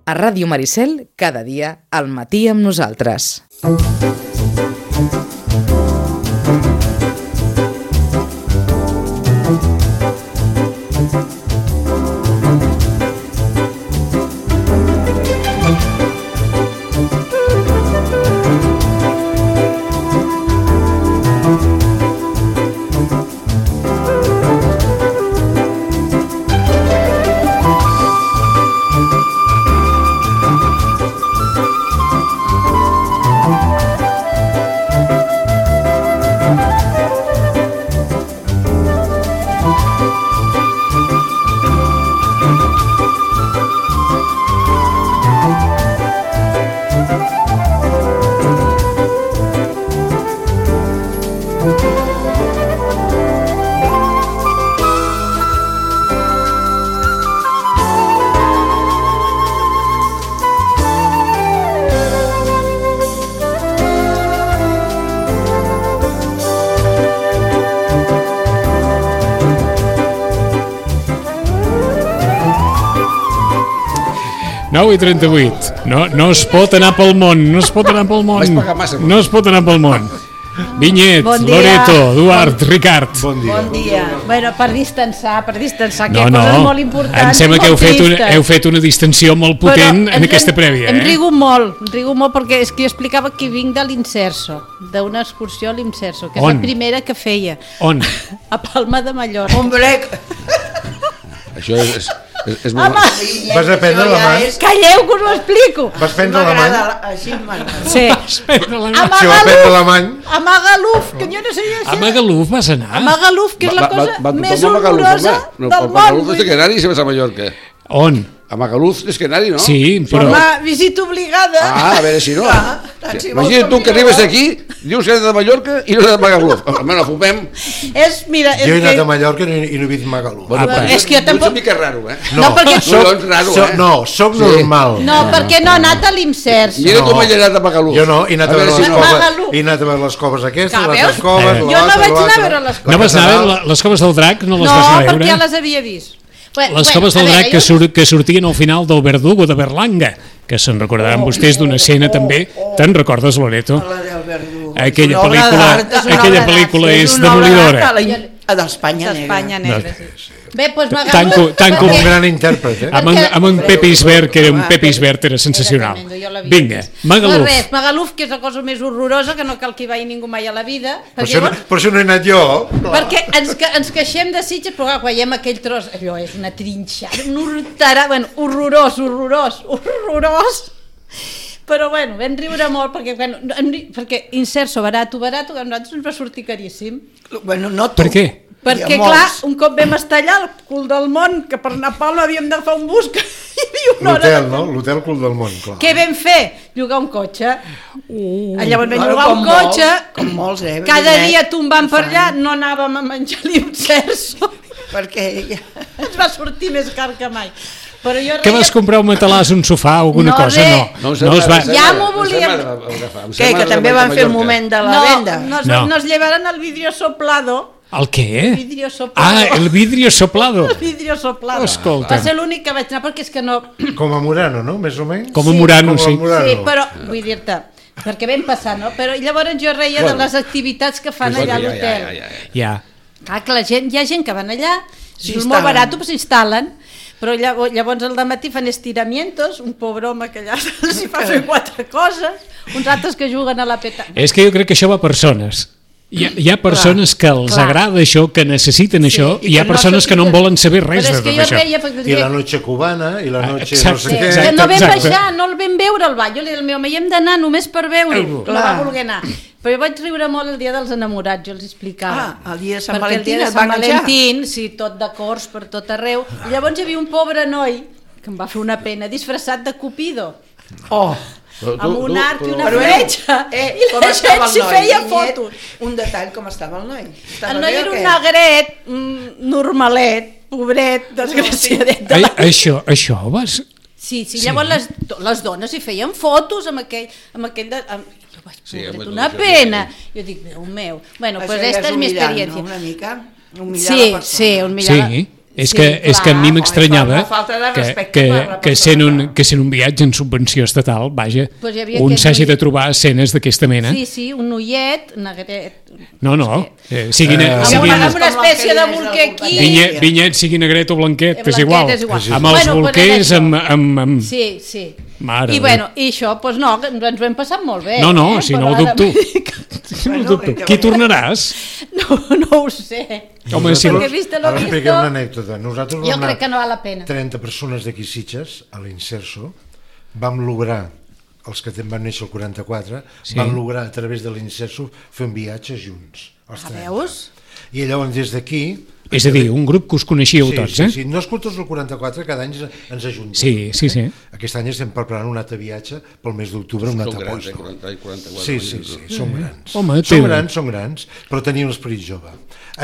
A Ràdio Maricel, cada dia al matí amb nosaltres. I 38. No es pot anar pel món, no es pot anar pel món. No es pot anar pel món. Vinyet, bon Loreto, Eduard, Ricard. Bon dia. Bueno, per distensar, que hi ha coses molt importants. Em sembla que heu fet una distensió molt potent en aquesta prèvia. Em rigo molt perquè és que jo explicava que vinc de l'Inserso, d'una excursió a l'Inserso, que és la primera que feia. On? A Palma de Mallorca. Hombre! Això és molt... Vas aprendre alemany? Calleu que us ho explico. Vas aprendre alemany? Així m'agrada. Sí. Si va aprendre alemany... A Magaluf, que jo no sé llegir. A Magaluf vas anar? A Magaluf, que és la cosa més horrorosa del món. Magaluf és de Canari i se vas a Mallorca. On? A Magaluf és Canari, no? Sí, però... Home, visita obligada. A veure si no. Imagina't tu que arribes aquí, dius que eres de Mallorca i no eres de Magaluf. Almenys no fumem. Mira, jo he anat a Mallorca i no he vist Magaluf. És que jo tampoc... Ets una mica raro, eh? No, soc normal. No, perquè no ha anat a l'Imsers. Mira com he anat a Magaluf. Jo no, he anat a veure les coves aquestes, les coves... Jo no vaig anar a veure les coves. No vas anar a veure les coves del Drac? No les vas anar a veure? No, perquè ja les havia vist. Les coves del Drac que sortien al final del Verdugo de Berlanga, que se'n recordaran vostès d'una escena també. Te'n recordes, Loreto? Aquella pel·lícula és demolidora. A d'Espanya Negra. Bé, doncs Magaluf... Tanco un gran intèrpret, amb un Pepe Isbert, que era un Pepe Isbert, era sensacional. Vinga, Magaluf. Res, Magaluf, que és la cosa més horrorosa, que no cal que hi vagi ningú mai a la vida. Per això no he anat jo. Perquè ens queixem de Sitges, però quan veiem aquell tros, allò és una trinxada, un horterà, horrorós. Però bueno, vam riure molt perquè Inserso, barato, que a nosaltres ens va sortir caríssim. Per què? Perquè clar, un cop vam estar allà al cul del món, que per anar a Palma havíem d'agafar un bus, que hi havia una hora... L'hotel, no? L'hotel cul del món, clar. Què vam fer? Llogar un cotxe. Llavors vam llogar un cotxe, com molts, cada dia tombant per allà, no anàvem a menjar l'Inserso, perquè ens va sortir més car que mai. Què vas comprar, un matalàs, un sofà o alguna cosa? No es va... Ja m'ho volíem... Què, que també van fer un moment de la venda? No, nos llevaran el vidrio soplado. El què? El vidrio soplado. El vidrio soplado. El vidrio soplado. Escolta. Va ser l'únic que vaig anar perquè és que no... Com a Murano, no? Més o menys? Com a Murano, sí. Sí, però vull dir-te, perquè vam passar, no? Però llavors jo reia de les activitats que fan allà a l'hotel. Ja. Clar, que hi ha gent que van allà, és molt barat, però s'instal·len. Però llavors al dematí fan estiramientos, un pobre home que allà s'hi fa fer 4 coses, uns altres que juguen a la petanca. És que jo crec que això va a persones. Hi ha persones que els agrada això, que necessiten això, i hi ha persones que no en volen saber res de tot això. I la noche cubana, i la noche no sé què... Que no vam baixar, no el vam veure al ball. Jo li dic al meu home, hi hem d'anar només per veure-ho. No va voler anar. Però jo vaig riure molt el dia dels enamorats, jo els explicava. El dia de Sant Valentín. Valentín el dia de Sant Valentín, sí, tot de cors per tot arreu. I llavors hi havia un pobre noi, que em va fer una pena, disfressat de Cupido. Amb un arc i una fletxa. I la gent s'hi feia fotos. Un detall, com estava el noi? El noi era un negret, normalet, pobret, desgraciadet. Això vas... Sí, llavors les dones hi feien fotos amb aquell una pena. Jo dic, Déu meu. Bueno, pues esta és mi experiència. Una mica, sí, un mirar. És que a mi m'estranyava que sent un viatge en subvenció estatal, vaja, un s'hagi de trobar escenes d'aquesta mena. Sí, un noiet, negret... No, siguin una espècie de bolquer aquí... Vinyet, sigui negret o blanquet, és igual. Amb els bolquers, amb... Sí. I això, doncs no, ens ho hem passat molt bé. No, si no ho dubto. Qui tornaràs? No ho sé. Home, si ara expliquem una anècdota. Nosaltres jo crec que no val la pena. 30 persones d'aquí Sitges, a l'Inserso, vam lograr, els que van néixer el 44, van lograr a través de l'Inserso fer un viatge junts. Veus? I llavors des d'aquí... És a dir, un grup que us coneixíeu tots, eh? Sí, no és tots el 44, cada any ens ajuntem. Sí. Aquest any estem preparant un altre viatge pel mes d'octubre, un altre post. Sí, són grans. Home, són grans, però tenien l'esperit jove.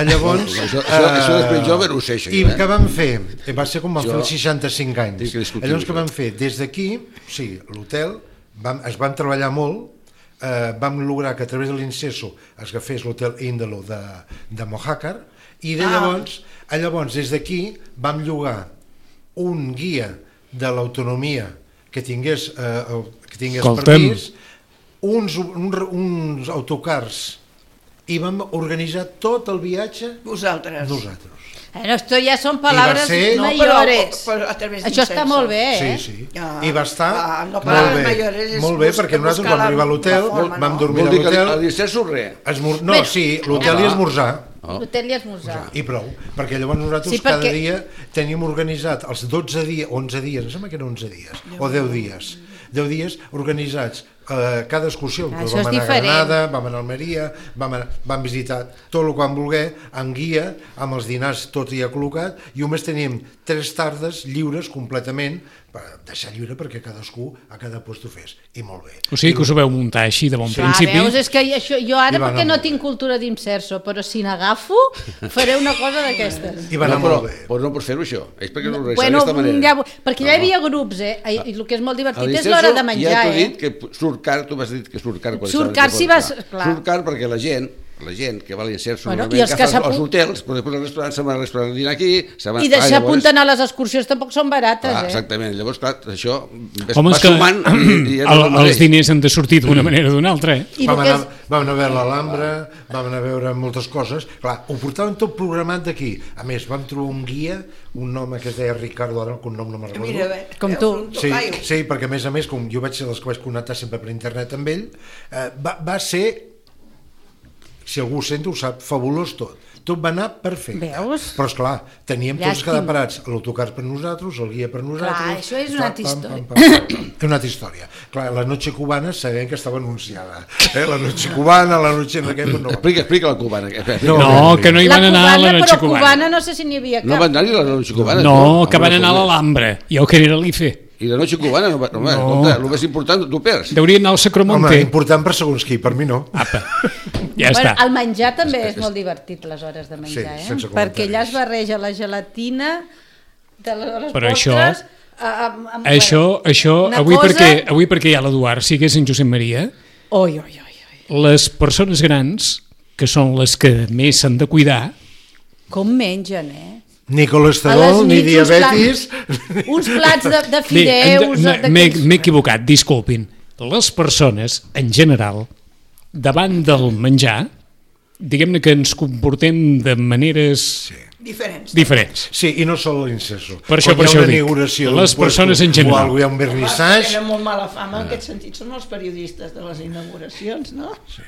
Llavors... Això l'esperit jove no ho sé, això. I què vam fer? Va ser com vam fer els 65 anys. Llavors què vam fer? Des d'aquí, sí, l'hotel, es van treballar molt, vam lograr que a través de l'Inserso es agafés l'hotel Índalo de Mojácar, i llavors des d'aquí vam llogar un guia de l'autonomia que tingués permís, uns autocars, i vam organitzar tot el viatge vosaltres. Esto ya son palabras mayores. Això està molt bé, eh? Sí. I va estar molt bé, perquè nosaltres vam arribar a l'hotel, vam dormir a l'hotel... A l'Inserso res. No, sí, l'hotel i esmorzar. L'hotel i esmorzar. I prou, perquè llavors nosaltres cada dia teníem organitzat els 11 dies, em sembla que eren 11 dies, o 10 dies organitzats, cada excursió. Això és diferent. Vam anar a Granada, vam anar a Almeria, vam visitar tot el que vam voler, amb guia, amb els dinars tot ja col·locat, i només teníem 3 tardes lliures completament, per deixar lliure perquè cadascú a cada lloc ho fes, i molt bé. O sigui que us ho veu muntar així de bon principi. Veus, és que jo ara perquè no tinc cultura d'Inserso, però si n'agafo faré una cosa d'aquestes. I va anar molt bé. Però no pots fer-ho això, és perquè no ho realitzar d'aquesta manera. Perquè ja hi havia grups, i el que és molt divertit és l'hora de menjar. Ja t'ho he dit que surt car, tu m'has dit que surt car. Surt car si vas... Surt car perquè la gent que va a l'Inserso i els que als hotels, però després al restaurant se'n va al restaurant a dinar aquí... I deixar apunten a les excursions tampoc són barates, eh? Exactament, llavors, clar, això va sumant... Els diners han de sortir d'una manera o d'una altra, eh? Vam anar a veure l'Alhambra, vam anar a veure moltes coses, clar, ho portaven tot programat d'aquí. A més, vam trobar un guia, un home que es deia Ricardo, ara un nom no me'n recordo. Com tu. Sí, perquè a més, com jo vaig ser dels que vaig connectar sempre per internet amb ell, va ser... Si algú ho sent, ho sap, fabulós tot. Tot va anar perfecte. Veus? Però, esclar, teníem tots quedar parats. L'autocar per nosaltres, el guia per nosaltres... Clar, això és una altra història. És una altra història. Clar, la noche cubana sabem que estava anunciada. La noche cubana, la noche... Explica la cubana. No, que no hi van anar a la noche cubana. Però cubana no sé si n'hi havia cap. No van anar-hi a la noche cubana? No, que van anar a l'Alhambra. Jo que era l'IFE. I la noche cubana, el més important, tu perds. Deurien anar al Sacromonte. Home, important per segons qui, per mi no. Apa, ja està. El menjar també és molt divertit, les hores de menjar, perquè allà es barreja la gelatina de les postres... Això, avui perquè hi ha l'Eduard, si hagués en Josep Maria, les persones grans, que són les que més s'han de cuidar... Com mengen, Ni colesterol, ni diabetis... Uns plats de fideus... M'he equivocat, disculpin. Les persones, en general, davant del menjar, diguem-ne que ens comportem de maneres... Diferents. Sí, i no sol l'Inserso. Per això dic, les persones en general. Hi ha un vernissatge... Tenen molt mala fama, en aquest sentit, són els periodistes de les inauguracions, no? Sí.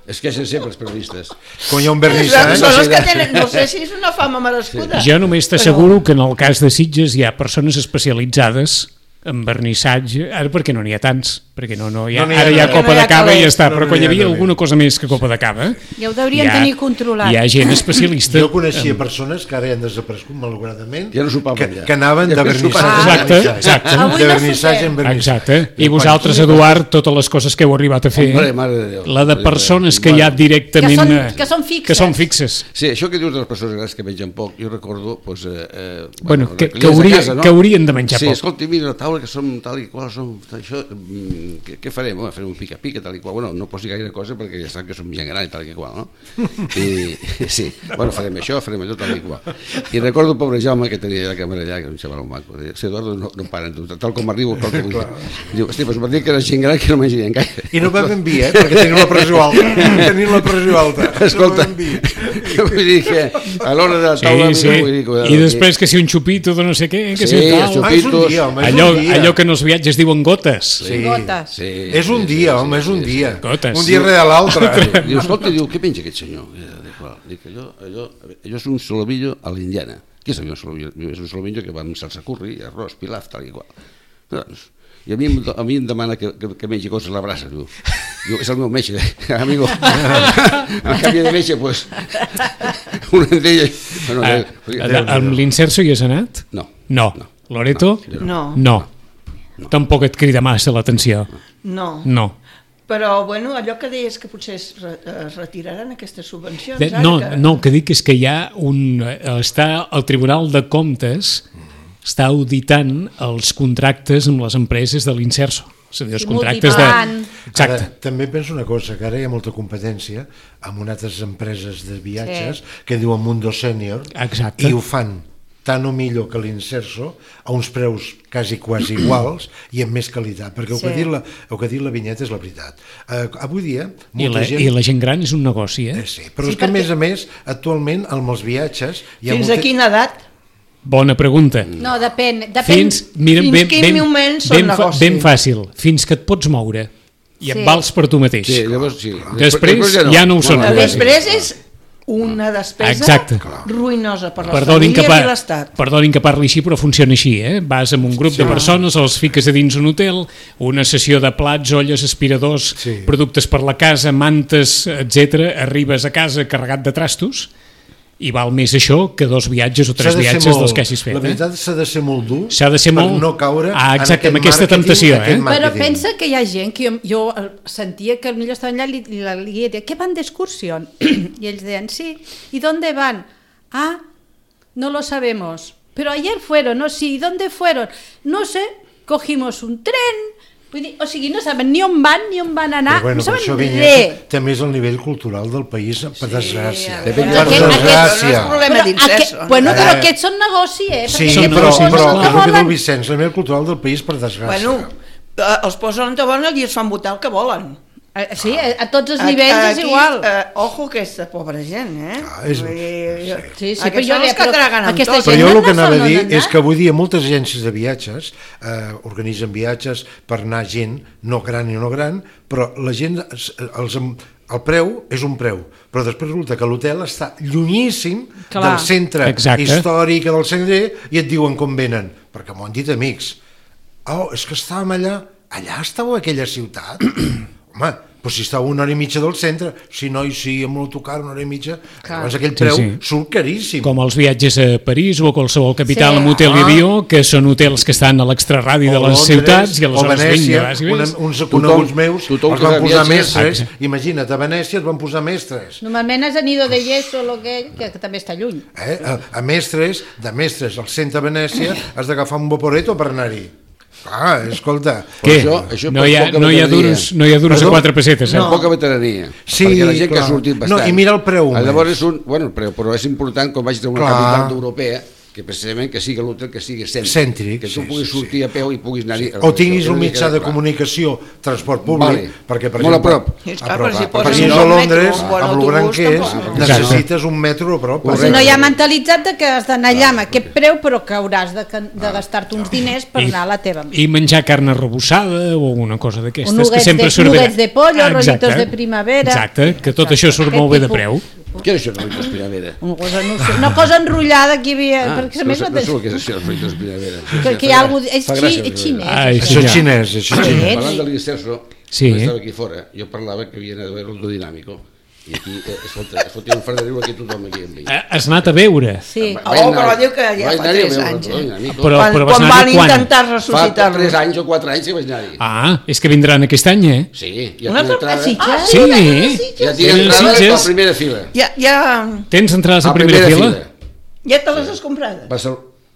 Es queixen sempre els periodistes. Quan hi ha un vernissatge... Són els que tenen, no sé si és una fama merescuda. Jo només t'asseguro que en el cas de Sitges hi ha persones especialitzades en vernissatge, ara perquè no n'hi ha tants, perquè ara hi ha copa de cava i ja està, però quan hi havia alguna cosa més que copa de cava... Ja ho deurien tenir controlat. Hi ha gent especialista... Jo coneixia persones que ara han desaparegut, malauradament, ja no sopaven ja. Que anaven de vernissatge. Exacte. De vernissatge en vernissatge. Exacte. I vosaltres, Eduard, totes les coses que heu arribat a fer, la de persones que hi ha directament... Que són fixes. Que són fixes. Sí, això que dius de les persones grans que mengen poc, jo recordo... Que haurien de menjar poc. Sí, escolti, mira, la taula qual, que som tal i qual, som això, què farem? Home, farem un pica-pica, tal i qual. Bueno, no posi gaire cosa perquè ja sap que som gent gran i tal i qual, no? I sí, bueno, farem això, farem allò, tal i qual. I recordo el pobre Jaume que tenia la càmera allà, que era un xaval maco. Sí, Eduardo, no paren, tal com arribo, tal com... Diu, hosti, doncs m'ha dit que era gent gran que no menjarien gaire. I no vam enviar, perquè tenim la pressió alta. Escolta, vull dir que a l'hora de la taula... I després que si un xupito de no sé què, que si tal... Allò que en els viatges diuen gotes. Sí. És un dia, home, és un dia. Un dia rere l'altre. Diu, escolta, què penja aquest senyor? Dic, allò és un solomillo a l'Indiana. Què és un solomillo? És un solomillo que va amb salsa curri, arròs, pilaf, tal i qual. I a mi em demana que mengi coses a la brasa. Diu, és el meu metge, amigo. Al canvi de metge, doncs, una d'ella... Amb l'Inserso hi has anat? No. Loreto? No. Tampoc et crida massa l'atenció? No. Però, bueno, allò que deies que potser es retiraran aquestes subvencions... No, que dic és que hi ha està el Tribunal de Comptes està auditant els contractes amb les empreses de l'Inserso. És a dir, els contractes de... Exacte. També penso una cosa, que ara hi ha molta competència amb unes altres empreses de viatges que diuen Mundo Senior i ho fan tant o millor que l'Inserso, a uns preus quasi iguals i amb més qualitat, perquè el que ha dit la vinyeta és la veritat. Avui dia... I la gent gran és un negoci, eh? Sí, però és que a més, actualment, amb els viatges... Fins a quina edat? Bona pregunta. No, depèn. Fins quin moment són negoci? Ben fàcil, fins que et pots moure i et vals per tu mateix. Sí, llavors sí. Després ja no ho són. Després és una despesa ruïnosa per les famílies i l'Estat. Perdonin que parli així, però funciona així. Vas amb un grup de persones, els fiques a dins un hotel, una sessió de plats, olles, aspiradors, productes per la casa, mantes, etc. Arribes a casa carregat de trastos i val més això que 2 viatges o 3 viatges dels que hagis fet. La veritat s'ha de ser molt dur per no caure en aquesta temptació. Però pensa que hi ha gent que jo sentia que potser estaven allà i li deia, ¿qué van de excursión? Y ells deien, sí. ¿Y dónde van? Ah, no lo sabemos. Pero ayer fueron, ¿no? Sí, ¿y dónde fueron? No sé, cogimos un tren... O sigui, no saben ni on van anar, no saben res. També és el nivell cultural del país, per desgràcia. Per desgràcia. Bueno, però aquests són negoci, eh? Sí, però és el que diu Vicenç, el nivell cultural del país, per desgràcia. Bueno, els posen on volen i es fan votar el que volen. Sí, a tots els nivells és igual. Ojo aquesta pobra gent, eh? Sí, però jo els que traguen amb tot. Però jo el que anava a dir és que avui dia moltes agències de viatges organitzen viatges per anar gent, no gran i no gran, però la gent, el preu és un preu, però després resulta que l'hotel està llunyíssim del centre històric, del centre, i et diuen com venen, perquè m'ho han dit amics. Oh, és que estàvem allà estàveu a aquella ciutat? Home, però si estava 1 hora i mitja del centre, si no, amb l'autocar 1 hora i mitja, llavors aquell preu surt caríssim. Com els viatges a París o a qualsevol capital amb hotel i avió, que són hotels que estan a l'extraradi de les ciutats, i aleshores Venècia, uns coneguts meus els van posar mestres, imagina't, a Venècia et van posar mestres. Normalment has anido de Yeso, que també està lluny. A mestres, al centre de Venècia has d'agafar un vaporeto per anar-hi. Ah, escolta. Què? No hi ha duros a 4 pessetes, eh? Poca veterania. Perquè la gent que ha sortit bastant. I mira el preu. Llavors el preu, però és important quan vagis a una capital europea que precisament que sigui l'hotel que sigui cèntric, que tu puguis sortir a peu i puguis anar-hi. O tinguis un mitjà de comunicació, transport públic, perquè per exemple... Molt a prop. Per exemple, a Londres, amb el gran que és, necessites un metro a prop. Si no hi ha mentalitat que has d'anar allà amb aquest preu, però que hauràs de gastar-te uns diners per anar a la teva. I menjar carn arrebossada o una cosa d'aquestes que sempre surt bé. Nuggets de pollo, rollitos de primavera... Exacte, que tot això surt molt bé de preu. Què és això de rollitos primavera? Una cosa enrotllada que hi havia... No sé el que és això, rollitos primavera. Que hi ha algú... És xinès. Això és xinès. Parlant de l'Inserso, quan estava aquí fora, jo parlava que havia anat a veure el Dodinàmico. I aquí es fotia un fart de riure aquí tothom aquí amb ell. Has anat a veure? Sí. Però diu que ja fa 3 anys. Quan van intentar ressuscitar-lo. Fa 3 anys o 4 anys que vaig anar-hi. Ah, és que vindran aquest any, eh? Sí. Una torna a Sitges? Sí. Ja tinc entrades a la primera fila. Tens entrades a primera fila? Ja te les has comprades?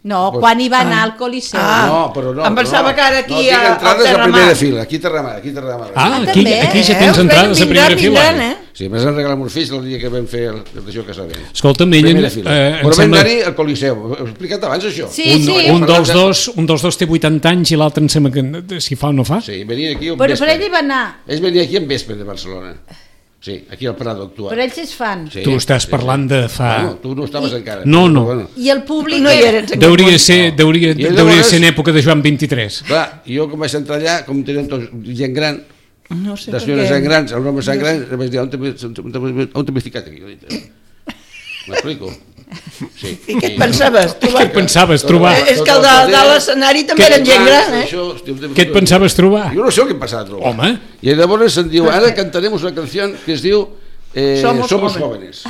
No, quan hi va anar al Coliseu. No, però no. Em pensava que ara aquí tinc entrades a primera fila, aquí Terramar. Aquí ja tens entrades a primera fila. Sí, més han regalat meus fills el dia que vam fer d'això que sabem. Escolta'm, ella... Però vam anar-hi al Coliseu, ho he explicat abans això. Un dels dos té 80 anys i l'altre em sembla que si fa o no fa. Sí, venia aquí però ell hi va anar. Ells venien aquí en vespre de Barcelona. Sí, aquí al Prado actual. Però ells és fan. Sí, tu estàs parlant de fa... No, tu no estaves encara. No. I el públic... Deuria ser en època de Joan 23. Clar, jo com vaig entrar allà, com tenien tots gent gran, no sé les senyores gent grans, els homes gent grans, vaig dir, on t'he ficat aquí? M'explico? Sí. I què et pensaves? Què et pensaves trobar? És que el de l'escenari també eren gent gran, Què et pensaves trobar? Jo no sé què em pensava trobar. Home. I llavors em diu, ara cantaremos una canción que es diu Somos jóvenes.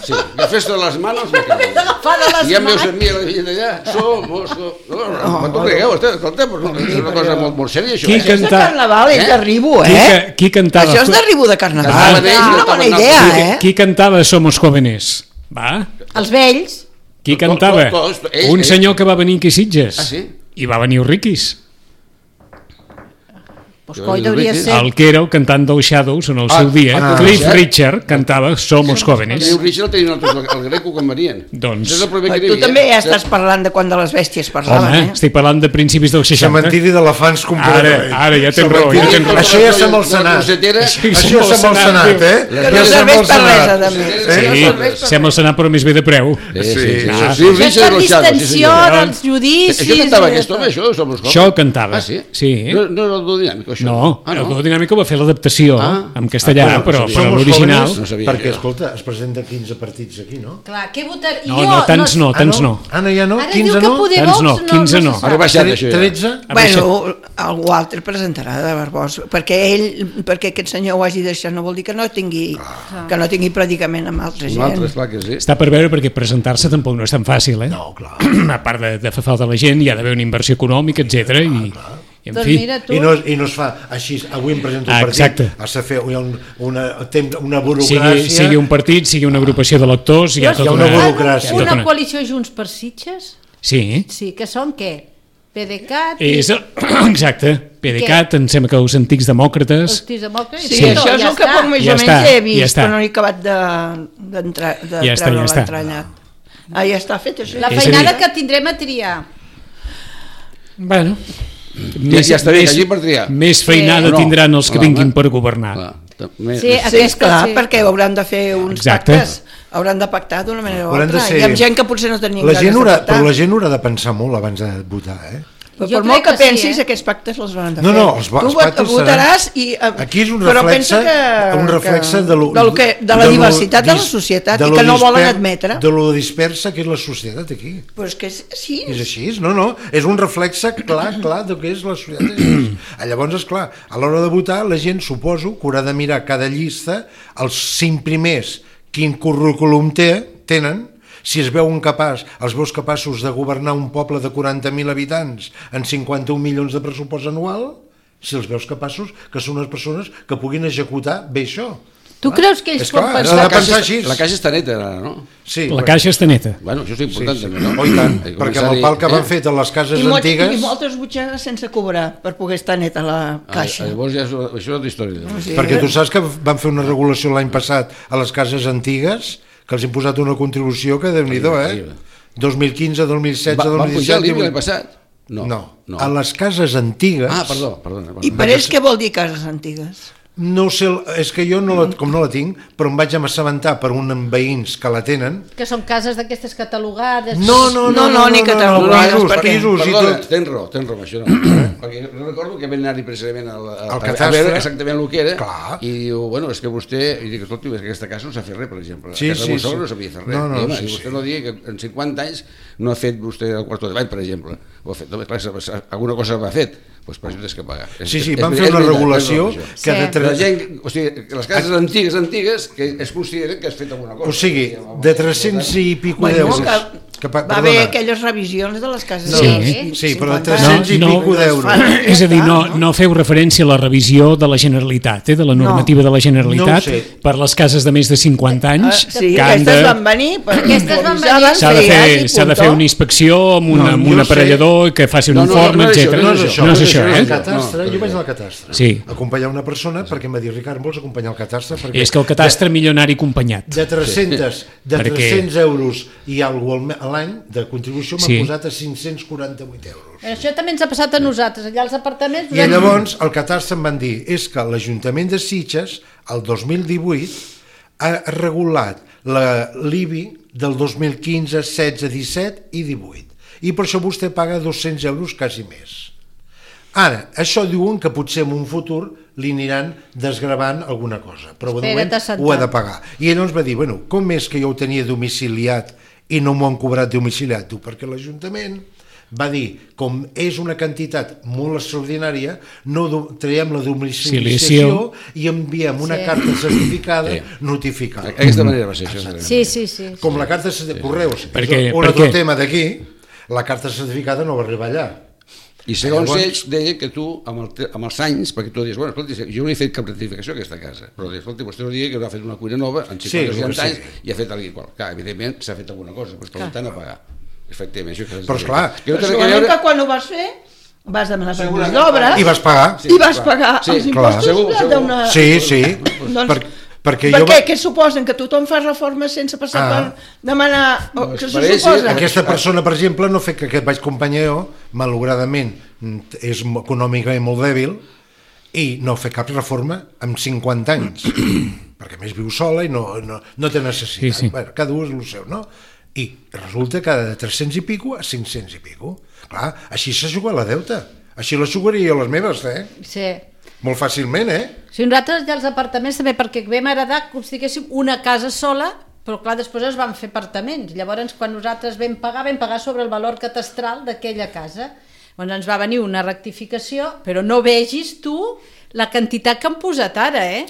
Sí, la festa de les manos me cago. I ja em veus a mi a la gent d'allà, somos... No t'ho cregueu, escolta, és una cosa molt sèria, això. Això és de carnaval, és de ribu, Qui cantava? Això és de ribu de carnaval. És una bona idea, Qui cantava Somos jóvenes? Va? Els vells. Qui cantava? Un senyor que va venir aquí a Sitges. Ah, sí? I va venir Riquis. Pues coi deuria ser... El que era el cantant dels Shadows en el seu dia, Cliff Richard, cantava Somos jóvenes. Cliff Richard el tenien altres, el Greco quan venien. Doncs... Tu també ja estàs parlant de quan de les bèsties parlaven, Home, estic parlant de principis dels 60. Cementiri d'elefants completament. Ara ja tens raó. Això ja som al Senat. Això ja som al Senat, Que no serveix per res, a més. Sí, som al Senat però més bé de preu. Això és per distensió dels judicis. Això cantava aquest home, això? Això cantava. Ah, sí? Sí. No era el duo dinàmic, això? No, el duo dinàmic va fer l'adaptació en castellà, però l'original... Perquè, escolta, es presenta 15 partits aquí, no? Clar, què votar... No, tants no. Ara ja no? 15 no? Tants no, 15 no. Ara baixat això ja. 13? Bueno, algú altre presentarà de Barbós, perquè aquest senyor ho hagi deixat no vol dir que no tingui predicament amb altra gent. Altres, clar que sí. Està per veure perquè presentar-se tampoc no és tan fàcil, No, clar. A part de fer falta la gent, hi ha d'haver una inversió econòmica, etc. I en fi... I no es fa així, avui em presento un partit, has de fer una burocràcia... Sigui un partit, sigui una agrupació de lectors, hi ha tota una burocràcia. Una coalició Junts per Sitges? Sí. Sí, que són què? PDeCAT? Exacte, PDeCAT, em sembla que els antics demòcrates... Sí, això és el que poc més o menys he vist, però no he acabat de treure l'entranyat. Ja està fet això. La feinada que tindrem a triar. Bueno... Ja està bé, allí per triar. Més feinada tindran els que vinguin per governar. Sí, clar, perquè hauran de fer uns pactes, hauran de pactar d'una manera o altra, i amb gent que potser no tenien ganes de pactar. Però la gent haurà de pensar molt abans de votar, Per molt que pensis, aquests pactes els hauran de fer. No, els pactes votaràs i... Aquí és un reflexe de la diversitat de la societat i que no volen admetre. De lo dispersa que és la societat aquí. Però és que sí. És així, no, és un reflexe clar del que és la societat. Llavors, esclar, a l'hora de votar la gent suposo que haurà de mirar cada llista, els 5 primers, quin currículum tenen, si els veus capaços de governar un poble de 40.000 habitants en 51 milions de pressupost anual, si els veus capaços que són unes persones que puguin executar bé això. Tu creus que ells pot pensar? La caixa està neta, no? Sí, la caixa està neta. Bueno, això és important també, no? I tant, perquè amb el pal que van fet a les cases antigues... I moltes butxaques sense cobrar per poder estar neta la caixa. Llavors això és una història. Perquè tu saps que van fer una regulació l'any passat a les cases antigues que els han posat una contribució que Déu-n'hi-do, 2015, 2016, 2017... Van pujar l'IBI l'any passat? No, a les cases antigues... Ah, perdona. I per ells què vol dir cases antigues? No sé, és que jo com no la tinc, però em vaig assabentar per uns veïns que la tenen. Que són cases d'aquestes catalogades? No, ni catalogades. Perdona, tens raó, això no. Perquè recordo que vam anar-hi precisament a veure exactament el que era i diu, bueno, és que vostè, i dic, escolta, és que aquesta casa no s'ha fet res, per exemple. A casa de no s'havia fet res. I vostè no digui que en 50 anys no ha fet vostè el quarto de bany, per exemple. Ho ha fet, alguna cosa va fet. Doncs per això tens que pagar. Sí, van fer una regulació que la gent, o sigui, les cases antigues que es consideren que has fet alguna cosa. O sigui, de 300 i pico d'euros. Va haver aquelles revisions de les cases. Sí, però de 300 i pico d'euros. És a dir, no feu referència a la revisió de la Generalitat, de la normativa de la Generalitat per les cases de més de 50 anys. Sí, aquestes van venir. S'ha de fer una inspecció amb un aparellador que faci un informe, etc. No és això, Jo vaig al catastre, acompanyar una persona perquè em va dir, Ricard, vols acompanyar el catastre? És que el catastre milionari acompanyat. De 300 euros i alguna cosa a l'any de contribució m'ha posat a 548 euros. Això també ens ha passat a nosaltres, allà als apartaments. I llavors el catastre em van dir és que l'Ajuntament de Sitges el 2018 ha regulat l'IBI del 2015, 16, 17 i 18 i per això vostè paga 200 euros quasi més. Ara, això diuen que potser en un futur li aniran desgravant alguna cosa, però de moment ho ha de pagar. I ell ens va dir, bueno, com és que jo ho tenia domiciliat i no m'ho han cobrat domiciliat? Perquè l'Ajuntament va dir, com és una quantitat molt extraordinària, no traiem la domiciliació i enviem una carta certificada notificada. D'aquesta manera va ser això. Sí. Com la carta de correus. Un altre tema d'aquí, la carta certificada no va arribar allà. I segons ells deia que tu, amb els anys, perquè tu dius, bueno, escolta, jo no he fet cap rectificació a aquesta casa, però escolta, vostè no digui que no ha fet una cuina nova en 50 anys i ha fet alguna cosa. Clar, evidentment s'ha fet alguna cosa, però per tant a pagar. Efectivament. Però esclar... Segurament que quan ho vas fer vas demanar permís d'obra i vas pagar. I vas pagar els impostos d'una... Sí. Perquè què suposen? Que tothom fa reformes sense passar per demanar... Què se suposa? Aquesta persona, per exemple, no ha fet que aquest vaig companyar jo, malauradament és econòmicament molt dèbil i no ha fet cap reforma en 50 anys, perquè més viu sola i no té necessitat. Bueno, cada un és el seu, no? I resulta que de 300 i pico a 500 i pico. Clar, així se juga la deuta. Així la jugaria jo les meves, Sí. Molt fàcilment, Si nosaltres ja els apartaments també, perquè vam heredar que diguéssim una casa sola, però clar, després es van fer apartaments. Llavors, quan nosaltres vam pagar sobre el valor catastral d'aquella casa. Llavors ens va venir una rectificació, però no vegis tu la quantitat que han posat ara,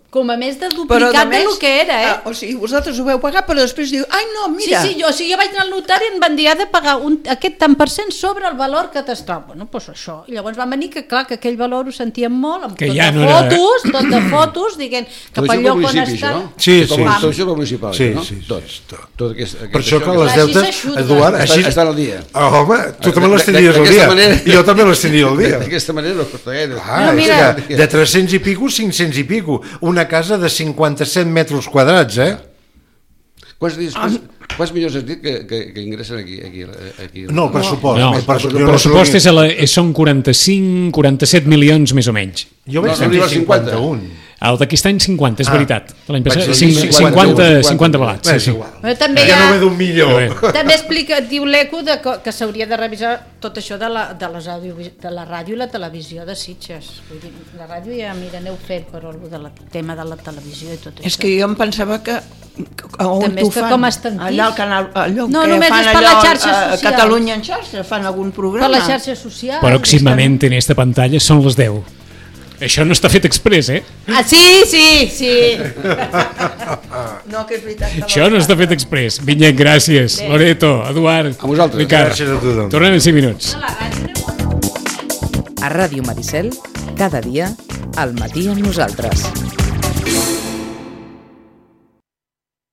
com a més de duplicat del que era, O sigui, vosaltres ho veu pagar, però després diu, ai no, mira... Sí, jo vaig anar al notari i em van dir, ha de pagar aquest tant per cent sobre el valor catastral. Bueno, doncs això. I llavors van venir que, clar, que aquell valor ho sentíem molt, amb tot de fotos, dient que pel lloc on està... Sí. Tot això va municipal, no? Tot. Per això que les deutes, Eduard, així... Estan al dia. Home, tu també les tenies al dia. Jo també les tenia al dia. D'aquesta manera no costa gaire. De 300 i pico, 500 i pico. Una casa de 57 metres quadrats, Quants milions has dit que ingressen aquí? No, el pressupost. El pressupost són 45-47 milions més o menys. Jo vaig tenir 51. El d'aquest any 50, és veritat. L'any passat 50 balats. Ja no ve d'un milió. També explica, diu l'ECO, que s'hauria de revisar tot això de la ràdio i la televisió de Sitges. La ràdio ja, mira, n'heu fet, però el tema de la televisió i tot això. És que jo em pensava que on t'ho fan? Allà al canal, allò que fan allò a Catalunya en xarxa, fan algun programa. Per les xarxes socials. Pròximament en esta pantalla són les 10. Això no està fet express, Sí. No, que és veritat. Això no està fet express. Vinyet, gràcies. Loreto, Eduard, a vosaltres. Ricard. Gràcies a tothom. Tornem en 5 minuts. A Ràdio Maricel, cada dia, al matí amb nosaltres.